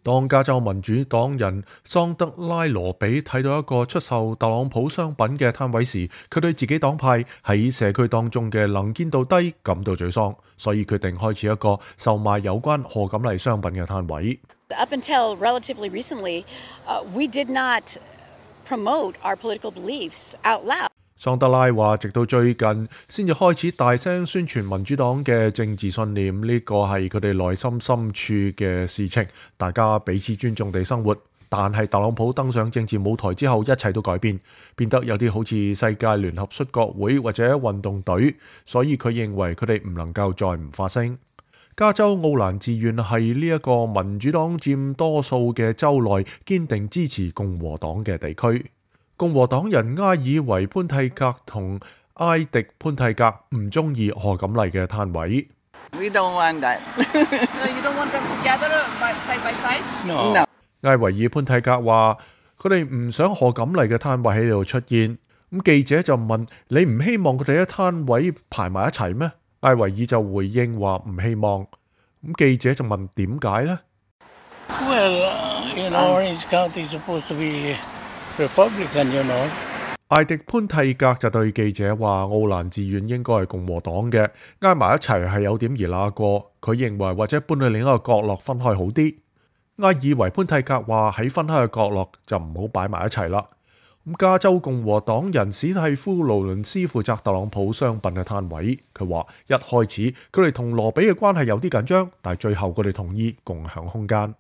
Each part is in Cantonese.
當加州民主黨人桑德拉羅比睇到一個出售特朗普商品嘅攤位時，佢對自己黨派喺社區當中嘅能見度低感到沮喪，所以決定開始一個售賣有關賀錦麗商品嘅攤位。Up until relatively recently, we did not promote our political beliefs out loud. 桑德拉話，直到最近先至開始大聲宣傳民主黨嘅政治信念，呢個係佢哋內心深處嘅事情，大家彼此尊重地生活。但係特朗普登上政治舞台之後，一切都改變，變得有啲好似世界聯合摔角會或者運動隊，所以佢認為佢哋唔能夠再唔發聲。加州奧蘭治縣係呢一個民主黨佔多數嘅州內堅定支持共和黨嘅地區。共和黨人埃爾維潘蒂格同埃迪潘蒂格唔中意賀錦麗嘅攤位。We don't want that. You don't want them together side by side? No. 埃維爾潘蒂格話：佢哋唔想賀錦麗嘅攤位喺度出現。咁記者就問：你唔希望佢哋喺攤位排埋一齊咩？埃維爾就回應話唔希望。咁記者就問點解呢？ Well, Orange County is supposed to be Republican, you know. 艾迪潘蒂格就對記者話：奧蘭治縣應該係共和黨嘅，挨埋一齊係有點兒那過。佢認為或者搬去另一個角落分開好啲。埃爾維潘蒂格話：喺分開嘅角落就唔好擺埋一齊啦。咁加州共和黨人史蒂夫勞倫斯負責特朗普商品嘅攤位，佢話一開始佢哋同羅比嘅關係有啲緊張，但係最後佢哋同意共享空間。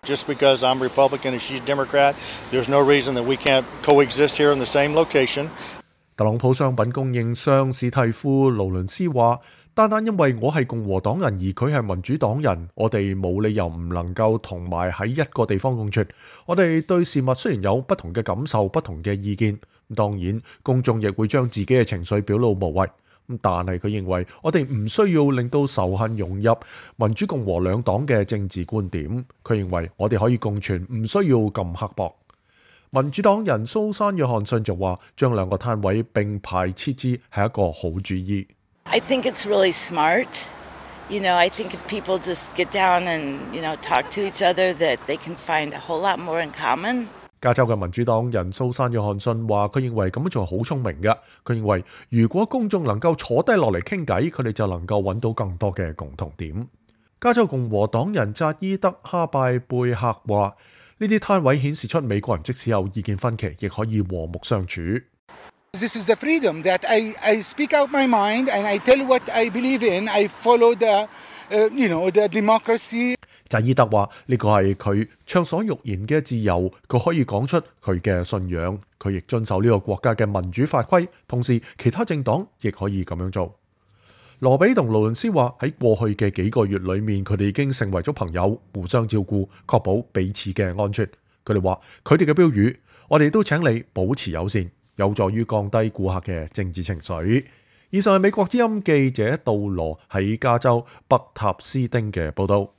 Just because I'm Republican and she's Democrat, there's no reason that we can't coexist here in the same location. 特朗普商品供應商史蒂夫勞倫斯話：單單因為我係共和黨人而佢係民主黨人，我哋冇理由唔能夠同埋喺一個地方共存。我哋對事物雖然有不同嘅感受、不同嘅意見，當然公眾亦會將自己嘅情緒表露無遺。但係佢認為我哋唔需要令到仇恨融入民主共和兩黨嘅政治觀點。佢認為我哋可以共存，唔需要咁刻薄。民主黨人蘇珊約翰遜就話：將兩個攤位並排設置係一個好主意。I think it's really smart. I think if people just get down and, talk to each other, that they can find a whole lot more in common. 加州嘅民主黨人蘇珊約翰遜話：佢認為咁樣做好聰明嘅。佢認為如果公眾能夠坐低落嚟傾偈，佢哋就能夠揾到更多嘅共同點。加州共和黨人扎伊德哈拜貝克話：呢啲攤位顯示出美國人即使有意見分歧，亦可以和睦相處。This is the freedom that I speak out my mind and I tell what I believe in. I follow the democracy. 扎伊德話：呢個係佢暢所欲言嘅自由，佢可以講出佢嘅信仰，佢亦遵守呢個國家嘅民主法規，同時其他政黨亦可以咁樣做。羅比同勞倫斯話：喺過去嘅幾個月裏面，佢哋已經成為咗朋友，互相照顧，確保彼此嘅安全。佢哋話：佢哋嘅標語，我哋都請你保持友善，有助於降低顧客嘅政治情緒。以上係美國之音記者杜羅喺加州北塔斯丁嘅報導。